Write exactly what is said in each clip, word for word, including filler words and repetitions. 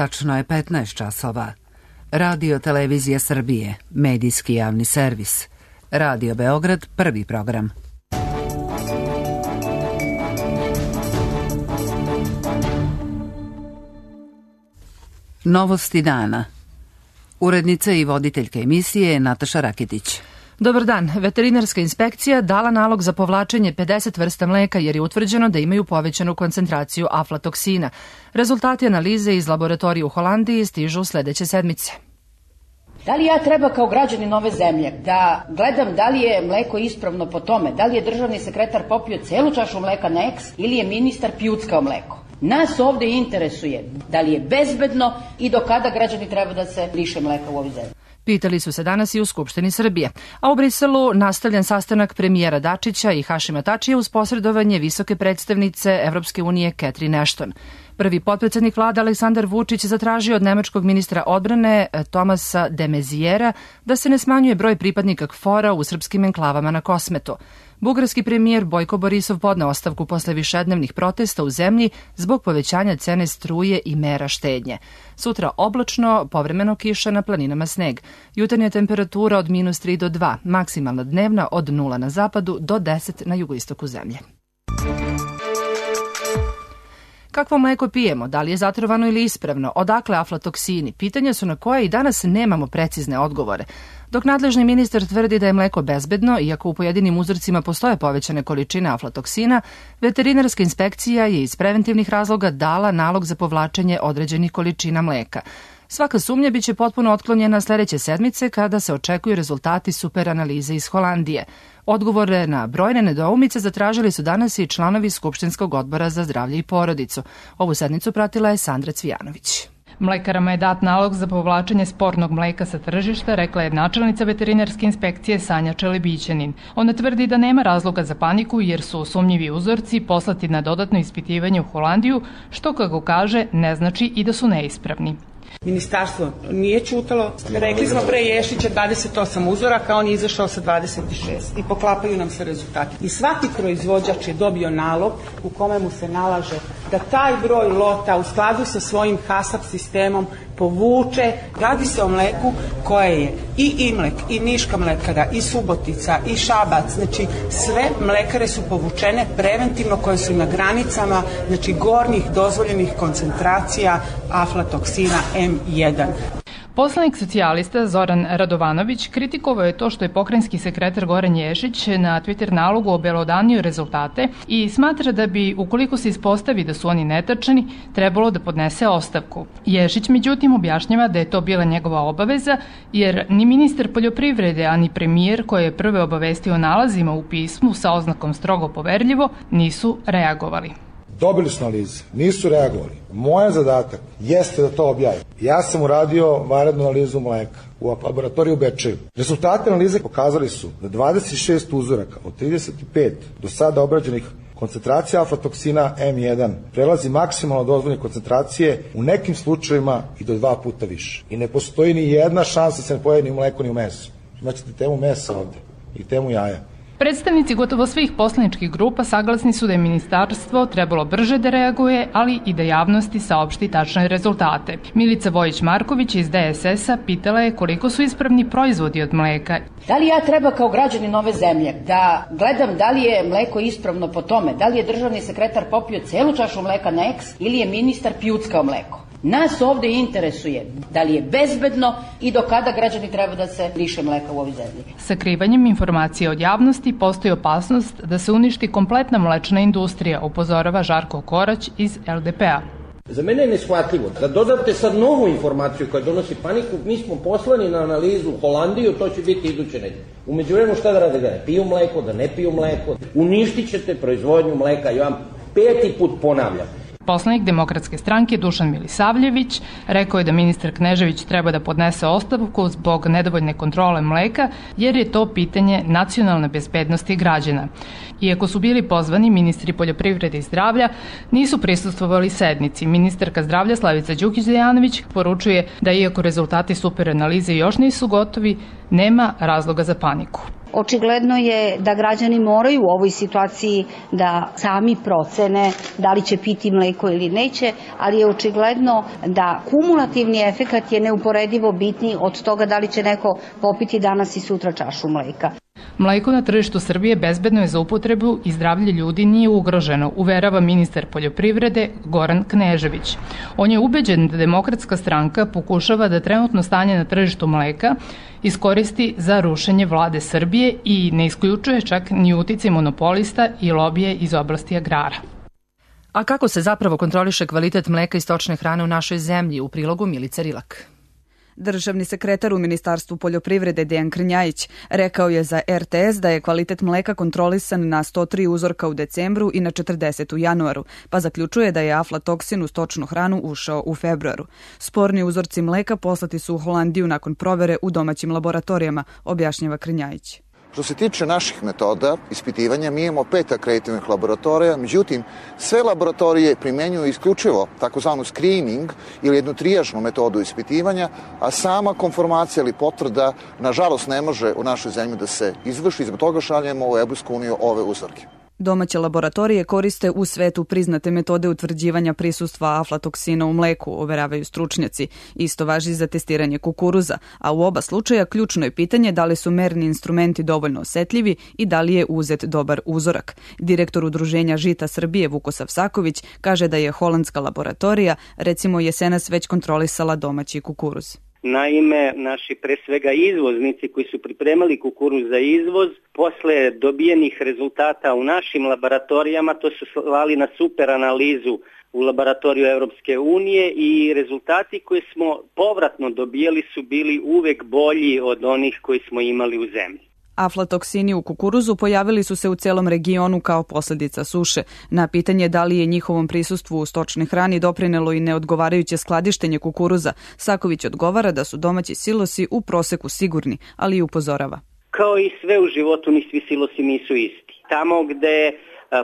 tačno je petnaest časova. Radio Televizija Srbije, medijski javni servis. Radio Beograd, prvi program. Novosti dana. Urednica i voditeljka emisije Nataša Rakitić. Dobar dan. Veterinarska inspekcija dala nalog za povlačenje pedeset vrsta mleka jer je utvrđeno da imaju povećanu koncentraciju aflatoksina. Rezultati analize iz laboratorije u Holandiji stižu sledeće sedmice. Da li ja treba kao građanin ove zemlje da gledam da li je mleko ispravno po tome, da li je državni sekretar popio celu čašu mleka na eks ili je ministar pjuckao mleko? Nas ovde interesuje da li je bezbedno i do kada građani treba da se liše mleka u ovoj zemlji. Pitali su se danas i u Skupštini Srbije. A u Briselu nastavljen sastanak premijera Dačića i Hašima Tačija uz posredovanje visoke predstavnice Evropske unije Catherine Ashton. Prvi potpredsednik vlade Aleksandar Vučić zatražio od nemačkog ministra odbrane Tomasa de Mezijera da se ne smanjuje broj pripadnika KFOR-a u srpskim enklavama na Kosmetu. Bugarski premijer Bojko Borisov podneo ostavku posle višednevnih protesta u zemlji zbog povećanja cene struje i mera štednje. Sutra oblačno, povremeno kiša, na planinama sneg. Jutarnja temperatura od minus tri do dva, maksimalna dnevna od nula na zapadu do deset na jugoistoku zemlje. Kakvo mleko pijemo, da li je zatrovano ili ispravno, odakle aflatoksini, pitanja su na koje i danas nemamo precizne odgovore. Dok nadležni ministar tvrdi da je mleko bezbedno, iako u pojedinim uzorcima postoje povećane količine aflatoksina, veterinarska inspekcija je iz preventivnih razloga dala nalog za povlačenje određenih količina mleka. Svaka sumnja biće potpuno otklonjena sledeće sedmice kada se očekuju rezultati super analize iz Holandije. Odgovore na brojne nedoumice zatražili su danas i članovi Skupštinskog odbora za zdravlje i porodicu. Ovu sednicu pratila je Sandra Cvijanović. Mlekarama je dat nalog za povlačenje spornog mleka sa tržišta, rekla je načelnica veterinarske inspekcije Sanja Čelebićanin. Ona tvrdi da nema razloga za paniku jer su sumnjivi uzorci poslati na dodatno ispitivanje u Holandiju, što, kako kaže, ne znači i da su neispravni. Ministarstvo nije ćutalo. Rekli smo pre Ješića dvadeset osam uzoraka, on je izašao sa dvadeset šest i poklapaju nam se rezultati. I svaki proizvođač je dobio nalog u kome mu se nalaže da taj broj lota u skladu sa svojim HASAP sistemom povuče. Radi se o mleku koje je i Imlek, i Niška mlekara, i Subotica, i Šabac. Znači sve mlekare su povučene preventivno koje su na granicama, znači gornjih dozvoljenih koncentracija aflatoksina em jedan. Poslanik socijalista Zoran Radovanović kritikovao je to što je pokrajinski sekretar Goran Ješić na Twitter nalogu obelodanio rezultate i smatra da bi, ukoliko se ispostavi da su oni netačni, trebalo da podnese ostavku. Ješić, međutim, objašnjava da je to bila njegova obaveza, jer ni ministar poljoprivrede, ani premijer, koji je prve obavestio nalazima u pismu sa oznakom strogo poverljivo, nisu reagovali. Dobili su analize, nisu reagovali. Moj zadatak jeste da to objavim. Ja sam uradio vanrednu analizu mleka u laboratoriju u Bečeju. Rezultate analize pokazali su da dvadeset šest uzoraka od trideset pet do sada obrađenih koncentracija aflatoksina em jedan prelazi maksimalno dozvoljene koncentracije, u nekim slučajevima i do dva puta više. I ne postoji ni jedna šansa da se ne pojavi ni u mleku ni u mesu. Imaćete temu mesa ovde i temu jaja. Predstavnici gotovo svih poslaničkih grupa saglasni su da je ministarstvo trebalo brže da reaguje, ali i da javnosti saopšti tačne rezultate. Milica Vojić-Marković iz de es es a pitala je koliko su ispravni proizvodi od mleka. Da li ja treba kao građanin ove zemlje da gledam da li je mleko ispravno po tome, da li je državni sekretar popio celu čašu mleka na eks ili je ministar pjuckao mleko? Nas ovde interesuje da li je bezbedno i do kada građani treba da se liše mleka u ovoj zemlji. Sakrivanjem informacija od javnosti postoji opasnost da se uništi kompletna mlečna industrija, upozorava Žarko Korać iz el de pe a. Za mene je neshvatljivo da dodate sad novu informaciju koja donosi paniku. Mi smo poslani na analizu u Holandiju, to će biti iduće nedelje. U međuvremenu šta da rade, da ne piju mleko, da ne piju mleko, uništit ćete proizvodnju mleka. Ja vam peti put ponavljam. Poslanik Demokratske stranke Dušan Milisavljević rekao je da ministar Knežević treba da podnese ostavku zbog nedovoljne kontrole mleka, jer je to pitanje nacionalne bezbednosti građana. Iako su bili pozvani ministri poljoprivrede i zdravlja, nisu prisustvovali sednici. Ministarka zdravlja Slavica Đukić-Dejanović poručuje da iako rezultati super analize još nisu gotovi, nema razloga za paniku. Očigledno je da građani moraju u ovoj situaciji da sami procene da li će piti mleko ili neće, ali je očigledno da kumulativni efekat je neuporedivo bitniji od toga da li će neko popiti danas i sutra čašu mleka. Mleko na tržištu Srbije bezbedno je za upotrebu i zdravlje ljudi nije ugroženo, uverava ministar poljoprivrede Goran Knežević. On je ubeđen da Demokratska stranka pokušava da trenutno stanje na tržištu mleka iskoristi za rušenje vlade Srbije i ne isključuje čak ni uticaj monopolista i lobije iz oblasti agrara. A kako se zapravo kontroliše kvalitet mleka i stočne hrane u našoj zemlji? U prilogu Milica Rilak. Državni sekretar u Ministarstvu poljoprivrede Dejan Krnjajić rekao je za er te es da je kvalitet mleka kontrolisan na sto tri uzorka u decembru i na četrdeset u januaru, pa zaključuje da je aflatoksin u stočnu hranu ušao u februaru. Sporni uzorci mleka poslati su u Holandiju nakon provere u domaćim laboratorijama, objašnjava Krnjajić. Što se tiče naših metoda ispitivanja, mi imamo pet akreditovanih laboratorija, međutim, sve laboratorije primenjuju isključivo takozvanu screening ili jednu trijažnu metodu ispitivanja, a sama konformacija ili potvrda, nažalost, ne može u našoj zemlji da se izvrši, zbog toga šaljemo u Evropsku uniju ove uzorke. Domaće laboratorije koriste u svetu priznate metode utvrđivanja prisustva aflatoksina u mleku, overavaju stručnjaci. Isto važi za testiranje kukuruza, a u oba slučaja ključno je pitanje da li su merni instrumenti dovoljno osetljivi i da li je uzet dobar uzorak. Direktor Udruženja Žita Srbije Vukosav Saković kaže da je holandska laboratorija recimo jesenas već kontrolisala domaći kukuruz. Naime, naši pre svega izvoznici koji su pripremali kukuruz za izvoz, posle dobijenih rezultata u našim laboratorijama, to su slali na super analizu u laboratoriju Evropske unije i rezultati koje smo povratno dobijeli su bili uvek bolji od onih koji smo imali u zemlji. Aflatoksini u kukuruzu pojavili su se u celom regionu kao posljedica suše. Na pitanje da li je njihovom prisustvu u stočnoj hrani doprinelo i neodgovarajuće skladištenje kukuruza, Saković odgovara da su domaći silosi u proseku sigurni, ali i upozorava. Kao i sve u životu, ni svi silosi nisu isti. Tamo gde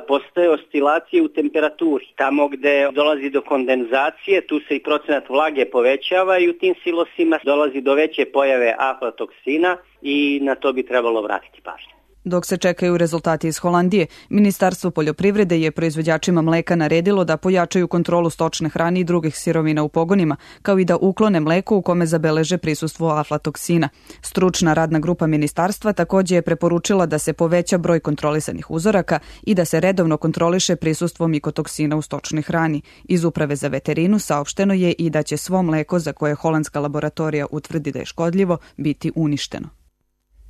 postoje oscilacije u temperaturi, tamo gde dolazi do kondenzacije, tu se i procenat vlage povećava i u tim silosima dolazi do veće pojave aflatoksina i na to bi trebalo vratiti pažnju. Dok se čekaju rezultati iz Holandije, Ministarstvo poljoprivrede je proizvođačima mleka naredilo da pojačaju kontrolu stočne hrane i drugih sirovina u pogonima, kao i da uklone mleko u kome zabeleže prisustvo aflatoksina. Stručna radna grupa ministarstva takođe je preporučila da se poveća broj kontrolisanih uzoraka i da se redovno kontroliše prisustvo mikotoksina u stočnoj hrani. Iz Uprave za veterinu saopšteno je i da će svo mleko za koje holandska laboratorija utvrdi da je škodljivo biti uništeno.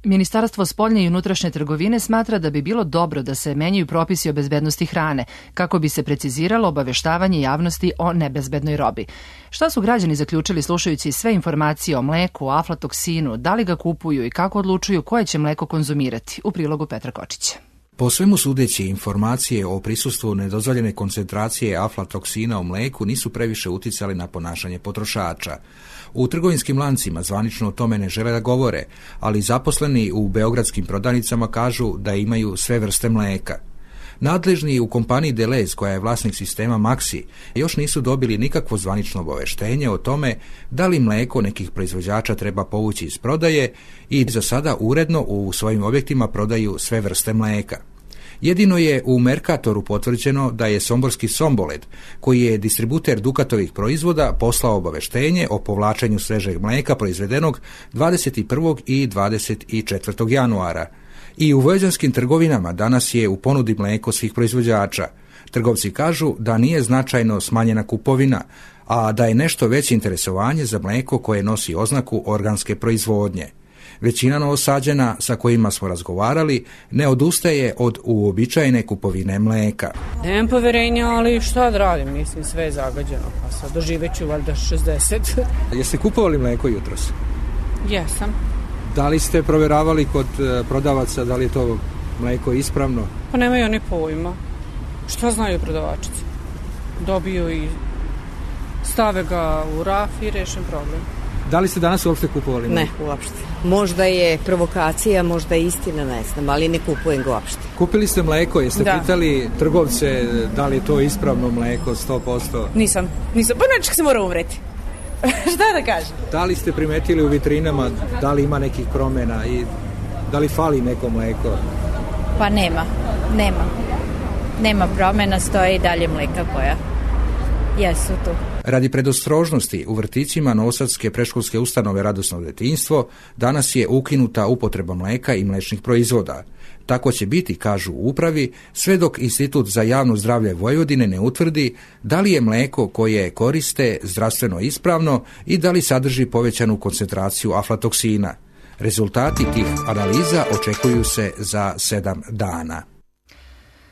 Ministarstvo spoljne i unutrašnje trgovine smatra da bi bilo dobro da se menjaju propisi o bezbednosti hrane, kako bi se preciziralo obaveštavanje javnosti o nebezbednoj robi. Šta su građani zaključili slušajući sve informacije o mleku, o aflatoksinu, da li ga kupuju i kako odlučuju koje će mleko konzumirati? U prilogu Petra Kočića. Po svemu sudeći, informacije o prisustvu nedozvoljene koncentracije aflatoksina u mleku nisu previše uticali na ponašanje potrošača. U trgovinskim lancima zvanično o tome ne žele da govore, ali zaposleni u beogradskim prodavnicama kažu da imaju sve vrste mleka. Nadležni u kompaniji Deleuze, koja je vlasnik sistema Maxi, još nisu dobili nikakvo zvanično obaveštenje o tome da li mleko nekih proizvođača treba povući iz prodaje i za sada uredno u svojim objektima prodaju sve vrste mleka. Jedino je u Mercatoru potvrđeno da je somborski Somboled, koji je distributer Dukatovih proizvoda, poslao obaveštenje o povlačenju svežeg mleka proizvedenog dvadeset prvog i dvadeset četvrtog januara. I u vojvođanskim trgovinama danas je u ponudi mleko svih proizvođača. Trgovci kažu da nije značajno smanjena kupovina, a da je nešto veće interesovanje za mleko koje nosi oznaku organske proizvodnje. Većina Novosađana sa kojima smo razgovarali ne odustaje od uobičajene kupovine mleka. Nemam poverenja, ali šta da radim, mislim sve je zagađeno, pa sad doživeću valjda šezdeset. Jeste kupovali mleko jutros? Jesam. Da li ste proveravali kod prodavaca da li je to mleko ispravno? Pa nemaju oni pojma. Šta znaju prodavačice? Dobiju i stave ga u raf i rešen problem. Da li ste danas uopšte kupovali mleko? Ne, uopšte. Možda je provokacija, možda je istina, ne znam, ali ne kupujem ga uopšte. Kupili ste mleko, jeste da. pitali trgovce da li je to ispravno mleko, sto posto? Nisam, nisam, pa nečak se mora umreti. Šta da kažem? Da li ste primetili u vitrinama da li ima nekih promjena i Da li fali neko mleko? Pa nema, nema. Nema promjena, stoje i dalje mleka koja jesu tu. Radi predostrožnosti u vrtićima novosadske predškolske ustanove Radosno detinjstvo danas je ukinuta upotreba mleka i mlečnih proizvoda. Tako će biti, kažu u upravi, sve dok Institut za javno zdravlje Vojvodine ne utvrdi da li je mleko koje koriste zdravstveno ispravno i da li sadrži povećanu koncentraciju aflatoksina. Rezultati tih analiza očekuju se za sedam dana.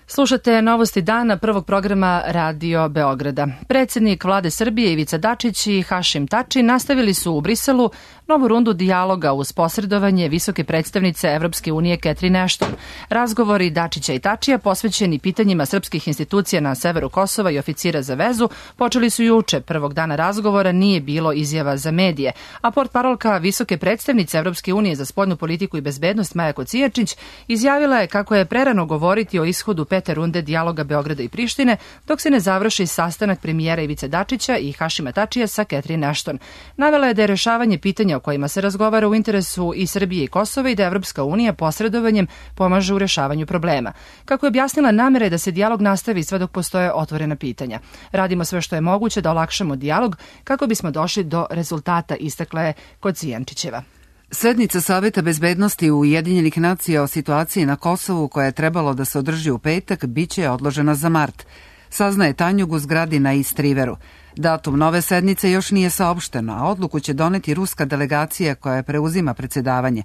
Slušate novosti dana prvog programa Radio Beograda. Predsjednik vlade Srbije Ivica Dačić i Hašim Tači nastavili su u Briselu novu rundu dijaloga uz posredovanje visoke predstavnice Evropske unije Catherine Ashton. Razgovori Dačića i Tačija posvećeni pitanjima srpskih institucija na severu Kosova i oficira za vezu počeli su juče. Prvog dana razgovora nije bilo izjava za medije, a portparolka visoke predstavnice Evropske unije za spoljnu politiku i bezbednost Maja Kocijačić izjavila je kako je prerano govoriti o ishodu pete runde dijaloga Beograda i Prištine dok se ne završi sastanak premijera Ivice Dačića i Hašima Tačija sa Catherine Ashton. Navela je da je rešavanje pitanja o kojima se razgovara u interesu i Srbije i Kosova i da Evropska unija posredovanjem pomaže u rešavanju problema. Kako je objasnila, namera je da se dijalog nastavi sve dok postoje otvorena pitanja. Radimo sve što je moguće da olakšamo dijalog kako bismo došli do rezultata, istakla je Kocijančićeva. Sednica Saveta bezbednosti Ujedinjenih nacija o situaciji na Kosovu, koja je trebalo da se održi u petak, biće odložena za mart. Saznaje Tanjug u zgradi na East Riveru. Datum nove sednice još nije saopšteno, a odluku će doneti ruska delegacija koja preuzima predsjedavanje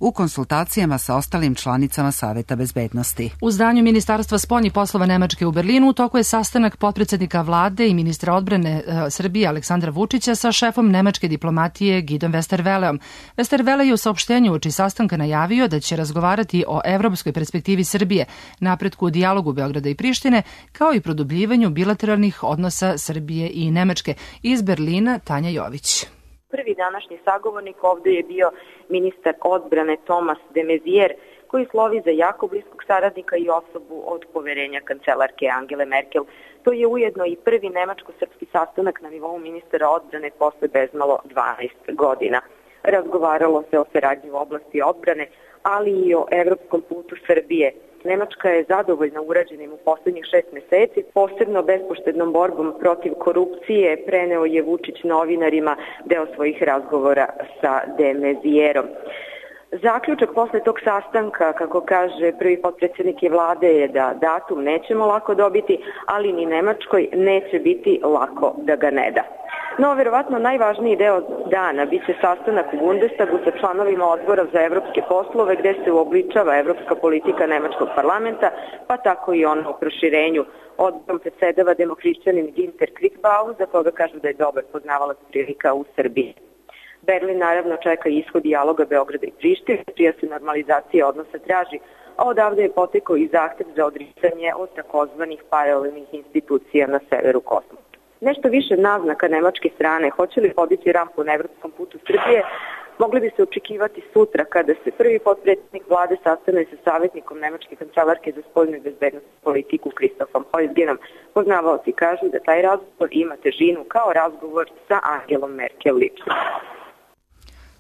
u konsultacijama sa ostalim članicama Saveta bezbednosti. U zdanju Ministarstva spoljnih poslova Nemačke u Berlinu u toku je sastanak potpredsednika vlade i ministra odbrane e, Srbije Aleksandra Vučića sa šefom nemačke diplomatije Gidom Westerwelleom. Westerwelle je u saopštenju uoči sastanka najavio da će razgovarati o evropskoj perspektivi Srbije, napretku u dijalogu Beograda i Prištine, kao i produbljivanju bilateralnih odnosa Srbije i Nemačke. Iz Berlina Tanja Jović. Prvi današnji sagovornik ovde je bio ministar odbrane Thomas de Maizière, koji slovi za jako bliskog saradnika i osobu od poverenja kancelarke Angele Merkel. To je ujedno i prvi nemačko-srpski sastanak na nivou ministara odbrane posle bezmalo dvanaest godina. Razgovaralo se o saradnji u oblasti odbrane, ali i o evropskom putu Srbije. Nemačka je zadovoljna urađenim u poslednjih šest meseci, posebno bespoštednom borbom protiv korupcije, preneo je Vučić novinarima deo svojih razgovora sa de Maizierom. Zaključak posle tog sastanka, kako kaže prvi potpredsjednik vlade, je da datum nećemo lako dobiti, ali ni Nemačkoj neće biti lako da ga ne da. No, verovatno najvažniji deo dana biće sastanak u Bundestagu sa članovima odbora za evropske poslove, gde se uobličava evropska politika nemačkog parlamenta, pa tako i ono o proširenju. Odborom predsedava demokrišćanin Ginter Kriegbaum, za koga kažu da je dobar poznavalac prilika u Srbiji. Berlin naravno čeka ishod dijaloga Beograda i Prištine, čija se normalizacija odnosa traži, a odavde je potekao i zahtev za odricanje od takozvanih paralelnih institucija na severu Kosova. Nešto više naznaka nemačke strane, hoće li podići rampu na evropskom putu Srbije, mogli bi se očekivati sutra kada se prvi potpredsjednik vlade sastane sa savjetnikom nemačke kancelarke za spoljnu i bezbednosnu politiku Christophom Heusgenom. Poznavaoci kažu da taj razgovor ima težinu kao razgovor sa Angelom Merkel lično.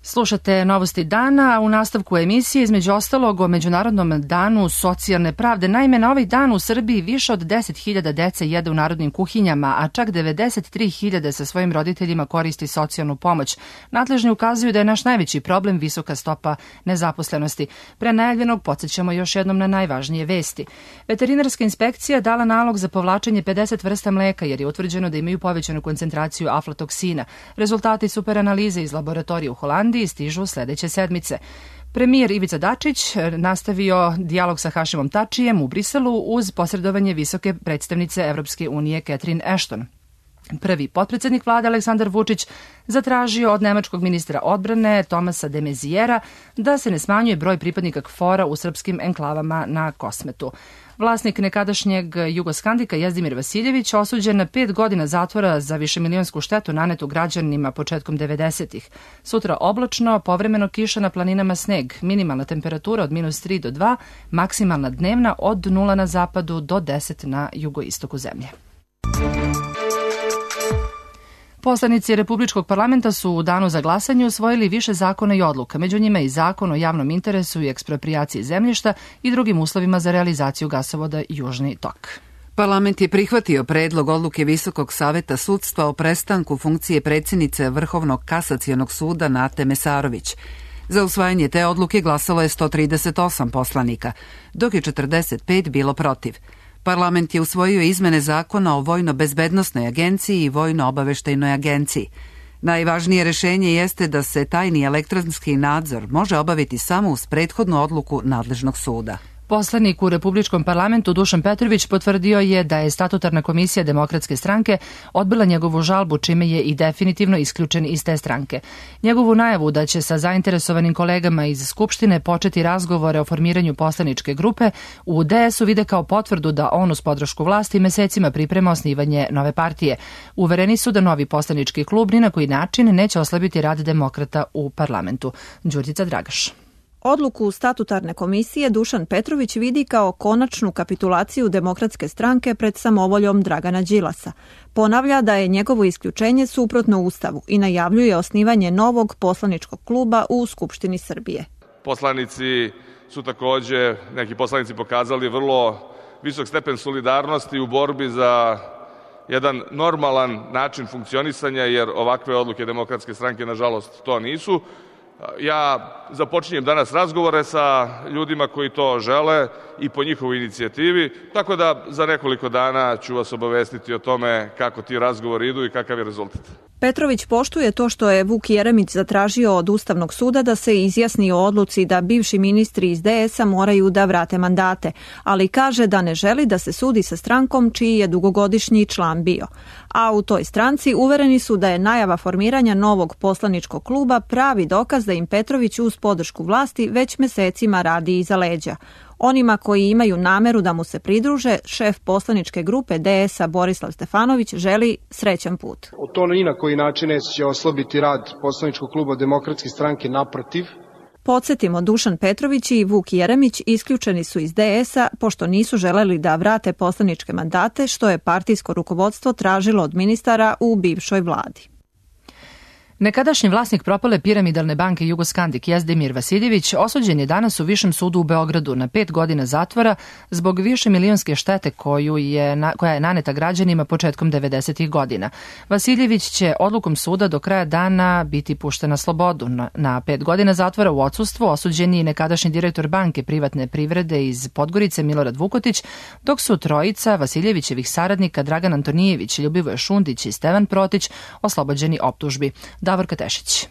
Slušate novosti dana, a u nastavku emisije između ostalog o Međunarodnom danu socijalne pravde. Naime, na ovaj dan u Srbiji više od deset hiljada dece jede u narodnim kuhinjama, a čak devedeset tri hiljade sa svojim roditeljima koristi socijalnu pomoć. Nadležni ukazuju da je naš najveći problem visoka stopa nezaposlenosti. Pre najavljenog podsjećamo još jednom na najvažnije vesti. Veterinarska inspekcija dala nalog za povlačenje pedeset vrsta mleka jer je utvrđeno da imaju povećanu koncentraciju aflatoksina. Rezultati superanalize iz laboratorije u Holandiji stižu sledeće sedmice. Premijer Ivica Dačić nastavio dijalog sa Hašimom Tačijem u Briselu uz posredovanje visoke predstavnice Evropske unije Catherine Ashton. Prvi potpredsjednik vlade Aleksandar Vučić zatražio od nemačkog ministra odbrane Thomasa de Maiziera da se ne smanjuje broj pripadnika KFOR-a u srpskim enklavama na Kosmetu. Vlasnik nekadašnjeg Jugoskandika Jezdimir Vasiljević osuđen na pet godina zatvora za višemilionsku štetu nanetu građanima početkom devedesetih. Sutra oblačno, povremeno kiša na planinama sneg, minimalna temperatura od minus tri do dva, maksimalna dnevna od nula na zapadu do deset na jugoistoku zemlje. Poslanici Republičkog parlamenta su u danu za glasanje usvojili više zakona i odluka, među njima i zakon o javnom interesu i eksproprijaciji zemljišta i drugim uslovima za realizaciju gasovoda Južni tok. Parlament je prihvatio predlog odluke Visokog saveta sudstva o prestanku funkcije predsjednice Vrhovnog kasacionog suda Nate Mesarović. Za usvajanje te odluke glasalo je sto trideset osam poslanika, dok je četrdeset pet bilo protiv. Parlament je usvojio izmene zakona o Vojno-bezbednosnoj agenciji i Vojno-obaveštajnoj agenciji. Najvažnije rešenje jeste da se tajni elektronski nadzor može obaviti samo uz prethodnu odluku nadležnog suda. Poslanik u Republičkom parlamentu Dušan Petrović potvrdio je da je statutarna komisija Demokratske stranke odbila njegovu žalbu, čime je i definitivno isključen iz te stranke. Njegovu najavu da će sa zainteresovanim kolegama iz Skupštine početi razgovore o formiranju poslaničke grupe u D S U vide kao potvrdu da on uz podršku vlasti mesecima priprema osnivanje nove partije. Uvereni su da novi poslanički klub ni na koji način neće oslabiti rad demokrata u parlamentu. Đurđica Dragaš. Odluku statutarne komisije Dušan Petrović vidi kao konačnu kapitulaciju Demokratske stranke pred samovoljom Dragana Đilasa. Ponavlja da je njegovo isključenje suprotno Ustavu i najavljuje osnivanje novog poslaničkog kluba u Skupštini Srbije. Poslanici su takođe, neki poslanici pokazali vrlo visok stepen solidarnosti u borbi za jedan normalan način funkcionisanja, jer ovakve odluke Demokratske stranke, nažalost, to nisu. Ja započinjem danas razgovore sa ljudima koji to žele i po njihovoj inicijativi, tako da za nekoliko dana ću vas obavestiti o tome kako ti razgovori idu i kakav je rezultat. Petrović poštuje to što je Vuk Jeremić zatražio od Ustavnog suda da se izjasni o odluci da bivši ministri iz D S A moraju da vrate mandate, ali kaže da ne želi da se sudi sa strankom čiji je dugogodišnji član bio. A u toj stranci uvereni su da je najava formiranja novog poslaničkog kluba pravi dokaz da im Petrović uz podršku vlasti već mesecima radi iza leđa. Onima koji imaju nameru da mu se pridruže, šef poslaničke grupe D S A Borislav Stefanović želi srećan put. To ni na koji način neće oslabiti rad poslaničkog kluba Demokratske stranke, naprotiv. Podsjetimo, Dušan Petrović i Vuk Jeremić isključeni su iz D S A pošto nisu želeli da vrate poslaničke mandate, što je partijsko rukovodstvo tražilo od ministara u bivšoj vladi. Nekadašnji vlasnik propale piramidalne banke Jugoskandik Jezdemir Vasiljević osuđen je danas u Višem sudu u Beogradu na pet godina zatvora zbog više milionske štete koju je, koja je naneta građanima početkom devedesetih godina. Vasiljević će odlukom suda do kraja dana biti pušten na slobodu. Na, na pet godina zatvora u odsustvu osuđen je i nekadašnji direktor banke privatne privrede iz Podgorice Milorad Vukotić, dok su trojica Vasiljevićevih saradnika Dragan Antonijević, Ljubivoje Šundić i Stevan Protić oslobođeni optužbi. Davorka Tešić.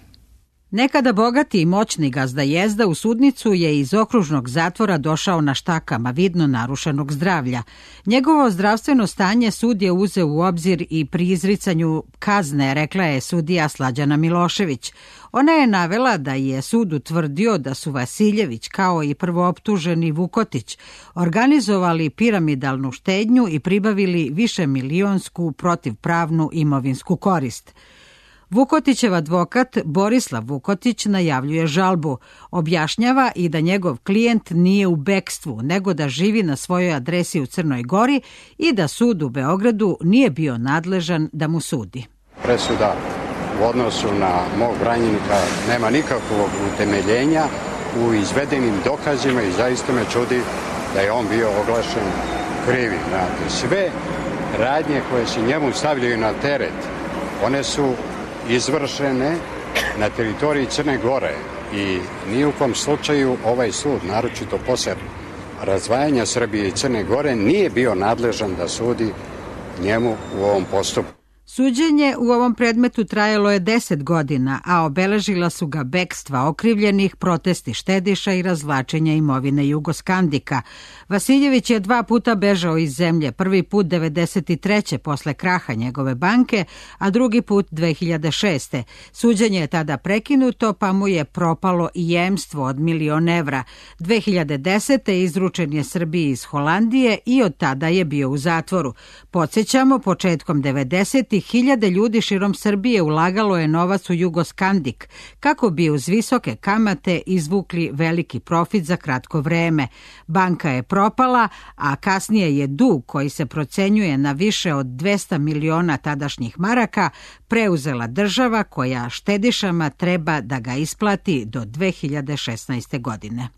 Nekada bogati i moćni gazda Jezda u sudnicu je iz okružnog zatvora došao na štakama vidno narušenog zdravlja. Njegovo zdravstveno stanje sud je uzeo u obzir i pri izricanju kazne, rekla je sudija Slađana Milošević. Ona je navela da je sud utvrdio da su Vasiljević kao i prvooptuženi Vukotić organizovali piramidalnu štednju i pribavili višemilionsku protivpravnu imovinsku korist. Vukotićev advokat Borislav Vukotić najavljuje žalbu. Objašnjava i da njegov klijent nije u bekstvu, nego da živi na svojoj adresi u Crnoj Gori i da sud u Beogradu nije bio nadležan da mu sudi. Presuda u odnosu na mog branjenika nema nikakvog utemeljenja u izvedenim dokazima i zaista me čudi da je on bio oglašen krivim. Sve radnje koje se njemu stavljaju na teret, one su izvršene na teritoriji Crne Gore i ni u kom slučaju ovaj sud, naročito posle razdvajanja Srbije i Crne Gore, nije bio nadležan da sudi njemu u ovom postupku. Suđenje u ovom predmetu trajalo je deset godina, a obeležila su ga bekstva okrivljenih, protesti štediša i razvlačenja imovine Jugoskandika. Vasiljević je dva puta bežao iz zemlje, prvi put devedeset treće posle kraha njegove banke, a drugi put dve hiljade šeste. Suđenje je tada prekinuto, pa mu je propalo i jemstvo od milion evra. dve hiljade desete. izručen je Srbiji iz Holandije i od tada je bio u zatvoru. Podsjećamo, početkom devedesetih hiljade ljudi širom Srbije ulagalo je novac u Jugoskandik kako bi uz visoke kamate izvukli veliki profit za kratko vreme. Banka je propala, a kasnije je dug koji se procenjuje na više od dvesta miliona tadašnjih maraka preuzela država koja štedišama treba da ga isplati do dve hiljade šesnaeste. godine.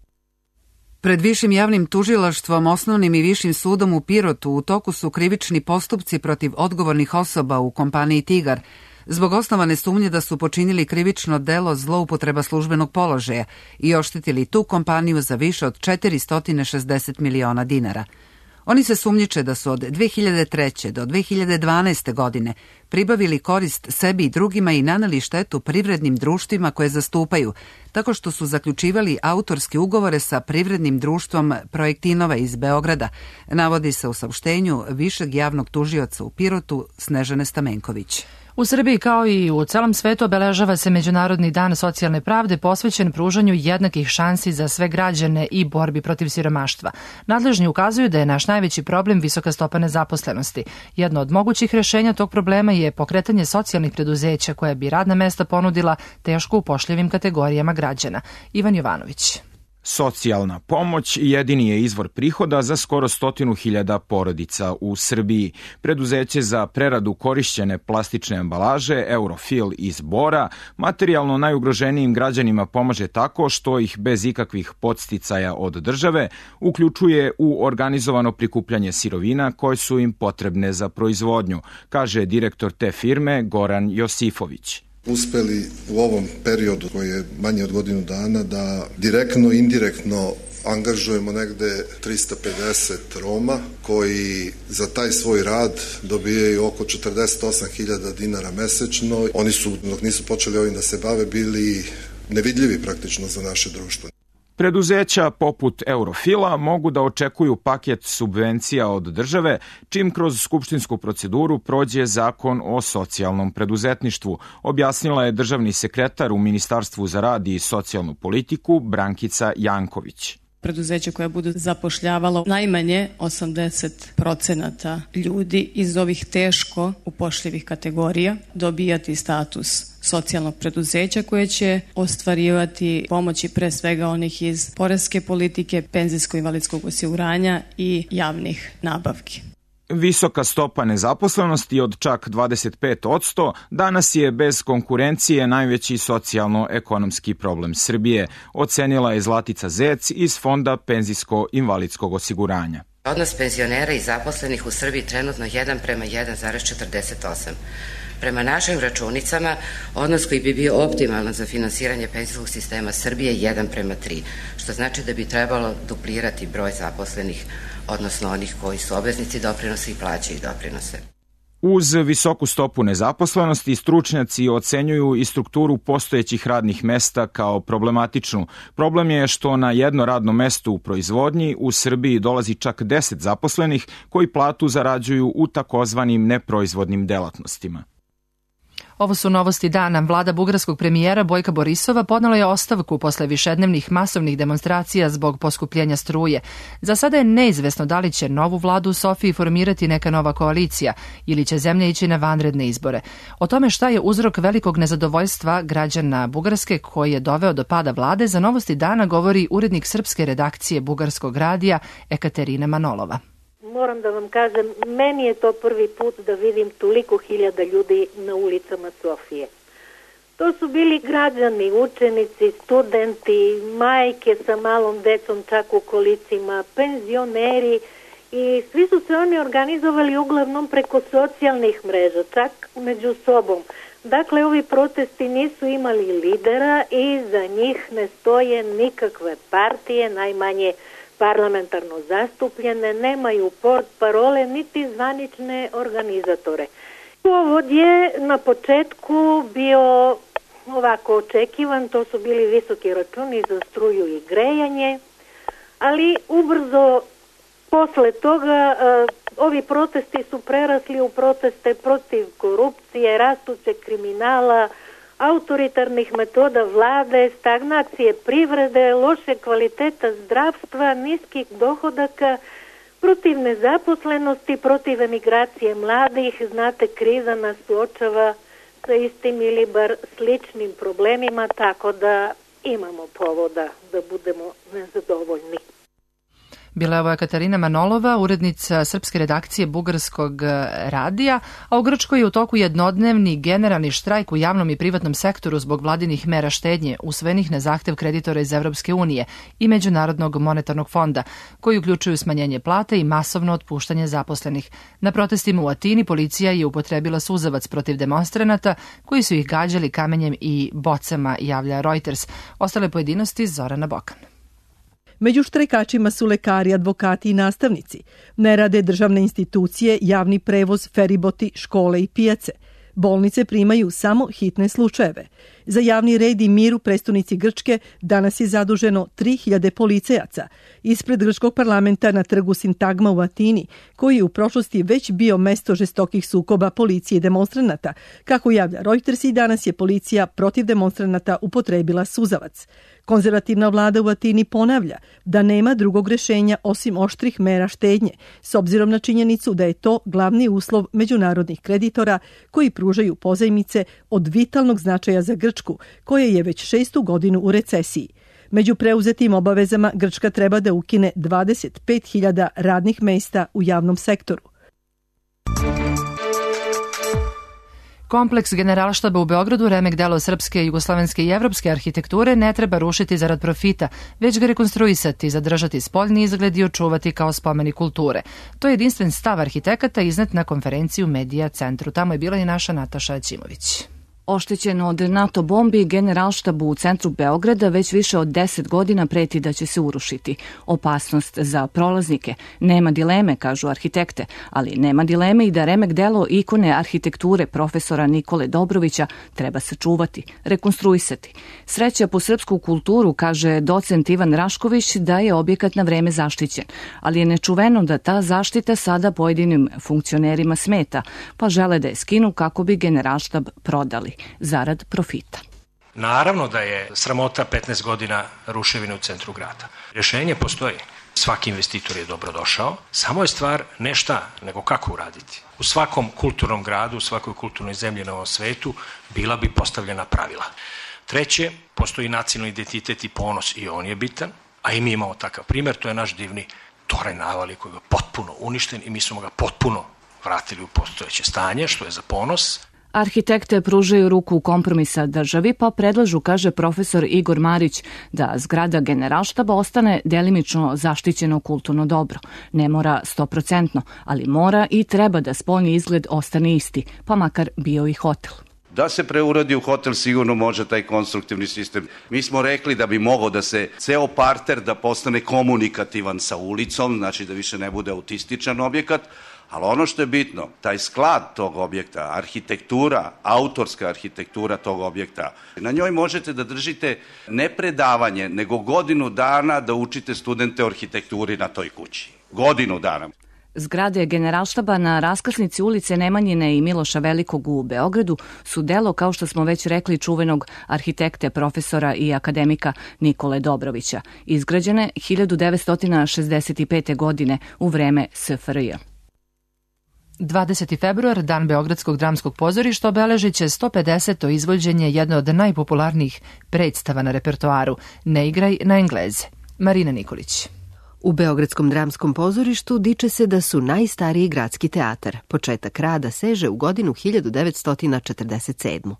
Pred Višim javnim tužilaštvom, Osnovnim i Višim sudom u Pirotu u toku su krivični postupci protiv odgovornih osoba u kompaniji Tigar zbog osnovane sumnje da su počinili krivično delo zloupotreba službenog položaja i oštetili tu kompaniju za više od četiristo šezdeset miliona dinara. Oni se sumnjiče da su od dve hiljade treće. do dve hiljade dvanaeste. godine pribavili korist sebi i drugima i naneli štetu privrednim društvima koje zastupaju, tako što su zaključivali autorske ugovore sa privrednim društvom Projektinova iz Beograda, navodi se u saopštenju Višeg javnog tužioca u Pirotu Snežane Stamenković. U Srbiji kao i u celom svetu obeležava se Međunarodni dan socijalne pravde posvećen pružanju jednakih šansi za sve građane i borbi protiv siromaštva. Nadležni ukazuju da je naš najveći problem visoka stopa nezaposlenosti. Jedno od mogućih rešenja tog problema je pokretanje socijalnih preduzeća koja bi radna mesta ponudila teško upošljivim kategorijama građana. Ivan Jovanović. Socijalna pomoć jedini je izvor prihoda za skoro stotinu hiljada porodica u Srbiji. Preduzeće za preradu korišćene plastične ambalaže Eurofil iz Bora materijalno najugroženijim građanima pomaže tako što ih bez ikakvih podsticaja od države uključuje u organizovano prikupljanje sirovina koje su im potrebne za proizvodnju, kaže direktor te firme Goran Josifović. Uspeli u ovom periodu koji je manje od godinu dana da direktno i indirektno angažujemo negde trista pedeset Roma koji za taj svoj rad dobijaju oko četrdeset osam hiljada dinara mesečno. Oni su, dok nisu počeli ovim da se bave, bili nevidljivi praktično za naše društvo. Preduzeća poput Eurofila mogu da očekuju paket subvencija od države čim kroz skupštinsku proceduru prođe zakon o socijalnom preduzetništvu, objasnila je državni sekretar u Ministarstvu za rad i socijalnu politiku Brankica Janković. Preduzeće koje budu zapošljavalo najmanje osamdeset procenata ljudi iz ovih teško upošljivih kategorija dobijati status socijalnog preduzeća koje će ostvarivati pomoći pre svega onih iz poreske politike, penzijsko-invalidskog osiguranja i javnih nabavki. Visoka stopa nezaposlenosti od čak dvadeset pet posto danas je bez konkurencije najveći socijalno-ekonomski problem Srbije, ocenila je Zlatica Zec iz Fonda penzijsko-invalidskog osiguranja. Odnos penzionera i zaposlenih u Srbiji trenutno jedan prema jedan zarez četrdeset osam. Prema našim računicama, odnos koji bi bio optimalan za finansiranje penzijskog sistema Srbije je jedan prema tri, što znači da bi trebalo duplirati broj zaposlenih, odnosno onih koji su obveznici doprinosa i plaćaju doprinose. Uz visoku stopu nezaposlenosti, stručnjaci ocenjuju i strukturu postojećih radnih mesta kao problematičnu. Problem je što na jedno radno mesto u proizvodnji u Srbiji dolazi čak deset zaposlenih koji platu zarađuju u takozvanim neproizvodnim delatnostima. Ovo su novosti dana. Vlada bugarskog premijera Bojka Borisova podnela je ostavku posle višednevnih masovnih demonstracija zbog poskupljenja struje. Za sada je neizvesno da li će novu vladu u Sofiji formirati neka nova koalicija ili će zemlja ići na vanredne izbore. O tome šta je uzrok velikog nezadovoljstva građana Bugarske koji je doveo do pada vlade, za novosti dana govori urednik srpske redakcije Bugarskog radija Ekaterina Manolova. Moram da vam kažem, meni je to prvi put da vidim toliko hiljada ljudi na ulicama Sofije. To su bili građani, učenici, studenti, majke sa malom decom čak u kolicima, penzioneri i svi su se oni organizovali uglavnom preko socijalnih mreža, čak među sobom. Dakle, ovi protesti nisu imali lidera i za njih ne stoje nikakve partije, najmanje parlamentarno zastupljene, nemaju port parole niti zvanične organizatore. Povod je na početku bio ovako očekivan, to su bili visoki računi za struju i grejanje, ali ubrzo posle toga ovi protesti su prerasli u proteste protiv korupcije, rastućeg kriminala, autoritarnih metoda vlade, stagnacije privrede, loše kvaliteta zdravstva, niskih dohodaka, protiv nezaposlenosti, protiv emigracije mladih. Znate, kriza nas suočava sa istim ili bar sličnim problemima, tako da imamo povoda da budemo nezadovoljni. Bila je ovo Katarina Manolova, urednica srpske redakcije Bugarskog radija, a u Grčkoj je u toku jednodnevni generalni štrajk u javnom i privatnom sektoru zbog vladinih mera štednje usvojenih na zahtev kreditora iz Evropske unije i Međunarodnog monetarnog fonda, koji uključuju smanjenje plata i masovno otpuštanje zaposlenih. Na protestima u Atini policija je upotrebila suzavac protiv demonstranata koji su ih gađali kamenjem i bocama, javlja Reuters. Ostale pojedinosti Zorana Bokan. Među štrajkačima su lekari, advokati i nastavnici. Ne rade državne institucije, javni prevoz, feriboti, škole i pijace. Bolnice primaju samo hitne slučajeve. Za javni red i mir u prestonici Grčke danas je zaduženo tri hiljade policajaca. Ispred grčkog parlamenta na trgu Sintagma u Atini, koji je u prošlosti već bio mesto žestokih sukoba policije i demonstranata. Kako javlja Reuters, i danas je policija protiv demonstranata upotrebila suzavac. Konzervativna vlada u Atini ponavlja da nema drugog rešenja osim oštrih mera štednje, s obzirom na činjenicu da je to glavni uslov međunarodnih kreditora koji pružaju pozajmice od vitalnog značaja za Grčku, koja je već šestu godinu u recesiji. Među preuzetim obavezama Grčka treba da ukine dvadeset pet hiljada radnih mesta u javnom sektoru. Kompleks Generalštaba u Beogradu, remek delo srpske, jugoslovenske i evropske arhitekture, ne treba rušiti zarad profita, već ga rekonstruisati, zadržati spoljni izgled i očuvati kao spomenik kulture. To je jedinstven stav arhitekata iznet na konferenciji u Medija centru. Tamo je bila i naša Nataša Ćimović. Oštećen od NATO bombi, Generalštabu u centru Beograda već više od deset godina preti da će se urušiti. Opasnost za prolaznike. Nema dileme, kažu arhitekte, ali nema dileme i da remek delo ikone arhitekture profesora Nikole Dobrovića treba sačuvati, rekonstruisati. Sreća po srpsku kulturu, kaže docent Ivan Rašković, da je objekat na vreme zaštićen, ali je nečuveno da ta zaštita sada pojedinim funkcionerima smeta, pa žele da je skinu kako bi Generalštab prodali zarad profita. Naravno da je sramota petnaest godina ruševine u centru grada. Rješenje postoji. Svaki investitor je dobrodošao, samo je stvar ne šta, nego kako uraditi. U svakom kulturnom gradu, u svakoj kulturnoj zemlji na ovom svetu bila bi postavljena pravila. Treće, postoji nacionalni identitet i ponos i on je bitan, a i mi imamo takav primjer, to je naš divni toranj Navali koji je potpuno uništen i mi smo ga potpuno vratili u postojeće stanje, što je za ponos. Arhitekte pružaju ruku kompromisa državi, pa predlažu, kaže profesor Igor Marić, da zgrada Generalštaba ostane delimično zaštićeno kulturno dobro. Ne mora stoprocentno, ali mora i treba da spoljni izgled ostane isti, pa makar bio i hotel. Da se preuradi u hotel sigurno može taj konstruktivni sistem. Mi smo rekli da bi mogao da se ceo parter da postane komunikativan sa ulicom, znači da više ne bude autističan objekat, ali ono što je bitno, taj sklad tog objekta, arhitektura, autorska arhitektura tog objekta, na njoj možete da držite ne predavanje, nego godinu dana da učite studente o arhitekturi na toj kući. Godinu dana. Zgrade Generalštaba na raskrsnici ulice Nemanjine i Miloša Velikog u Beogradu su delo, kao što smo već rekli, čuvenog arhitekte, profesora i akademika Nikole Dobrovića, izgrađene hiljadu devetsto šezdeset pete. godine u vreme S F R J. dvadeseti februar, dan Beogradskog dramskog pozorišta, obeležit će sto pedeseto izvođenje jedne od najpopularnijih predstava na repertoaru Ne igraj na Engleze. Marina Nikolić. U Beogradskom dramskom pozorištu diče se da su najstariji gradski teatar. Početak rada seže u godinu hiljadu devetsto četrdeset sedmu.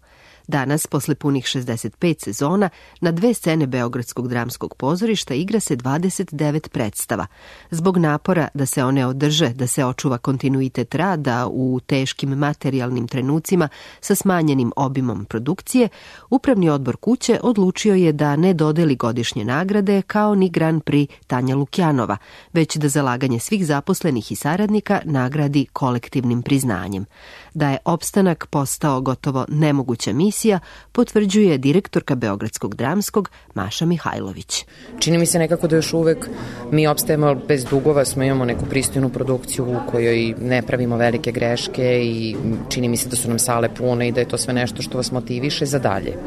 Danas, posle punih šezdeset pet sezona, na dve scene Beogradskog dramskog pozorišta igra se dvadeset devet predstava. Zbog napora da se one održe, da se očuva kontinuitet rada u teškim materijalnim trenucima sa smanjenim obimom produkcije, Upravni odbor kuće odlučio je da ne dodeli godišnje nagrade kao ni Grand Prix Tanja Lukjanova, već da zalaganje svih zaposlenih i saradnika nagradi kolektivnim priznanjem. Da je opstanak postao gotovo nemoguća misija, potvrđuje direktorka Beogradskog dramskog Maša Mihajlović. Čini mi se nekako da još uvek mi opstajemo bez dugova, smo imamo neku pristojnu produkciju u kojoj ne pravimo velike greške i čini mi se da su nam sale pune i da je to sve nešto što vas motiviše za dalje.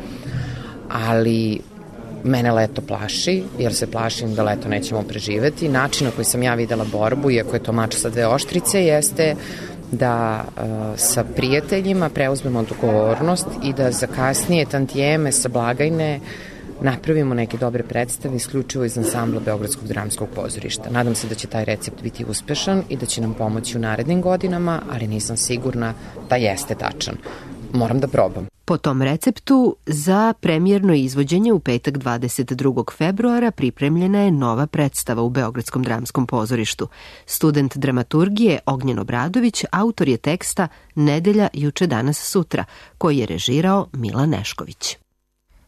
Ali Mene leto plaši, jer se plašim da leto nećemo preživeti. Način na koji sam ja videla borbu, iako je to mač sa dve oštrice, jeste da uh, sa prijateljima preuzmemo odgovornost i da za kasnije tantijeme sa blagajne napravimo neke dobre predstave isključivo iz ansambla Beogradskog dramskog pozorišta. Nadam se da će taj recept biti uspešan i da će nam pomoći u narednim godinama, ali nisam sigurna da jeste tačan. Moram da probam. Po tom receptu za premijerno izvođenje u petak dvadeset drugog februara pripremljena je nova predstava u Beogradskom dramskom pozorištu. Student dramaturgije Ognjen Obradović autor je teksta Nedelja, juče, danas, sutra, koji je režirao Milan Nešković.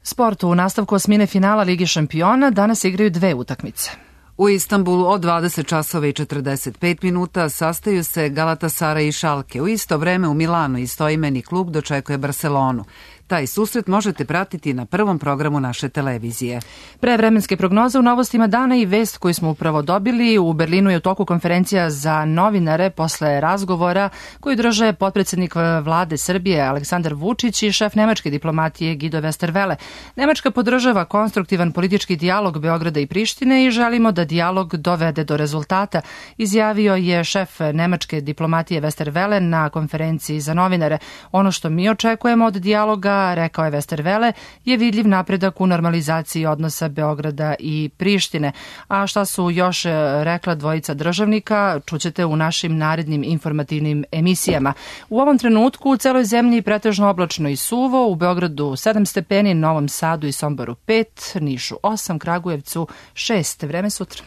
Sport u nastavku osmine finala Lige šampiona danas igraju dve utakmice. U Istanbulu od dvadeset časova i četrdeset pet minuta sastaju se Galatasaray i Schalke. U isto vreme u Milanu istoimeni klub dočekuje Barcelonu. Taj susret možete pratiti na prvom programu naše televizije. Pre vremenske prognoze u novostima dana i vest koju smo upravo dobili. U Berlinu je u toku konferencija za novinare posle razgovora koju drže potpredsednik vlade Srbije Aleksandar Vučić i šef nemačke diplomatije Guido Westerwelle. Nemačka podržava konstruktivan politički dijalog Beograda i Prištine i želimo da dijalog dovede do rezultata, izjavio je šef nemačke diplomatije Westerwelle na konferenciji za novinare. Ono što mi očekujemo od dijaloga, rekao je Westerwelle, je vidljiv napredak u normalizaciji odnosa Beograda i Prištine. A šta su još rekla dvojica državnika, čućete u našim narednim informativnim emisijama. U ovom trenutku u celoj zemlji pretežno oblačno i suvo, u Beogradu sedam stepeni, Novom Sadu i Somboru pet, Nišu osam, Kragujevcu šest. Vreme sutra.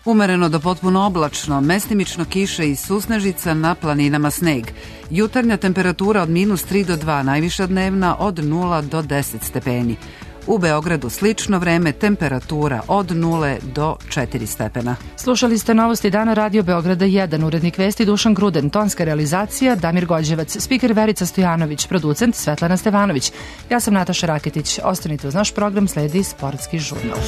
Umereno do potpuno oblačno, mestimično kiše i susnežica, na planinama sneg. Jutarnja temperatura od minus tri do dva, najviša dnevna od nula do deset stepeni. U Beogradu slično vreme, temperatura od nule do četiri stepena. Slušali ste novosti dana Radio Beograda jedan, urednik vesti Dušan Gruden, tonska realizacija Damir Gođevac, spiker Verica Stojanović, producent Svetlana Stevanović. Ja sam Nataša Raketić. Ostanite uz naš program, sledi sportski žurnal.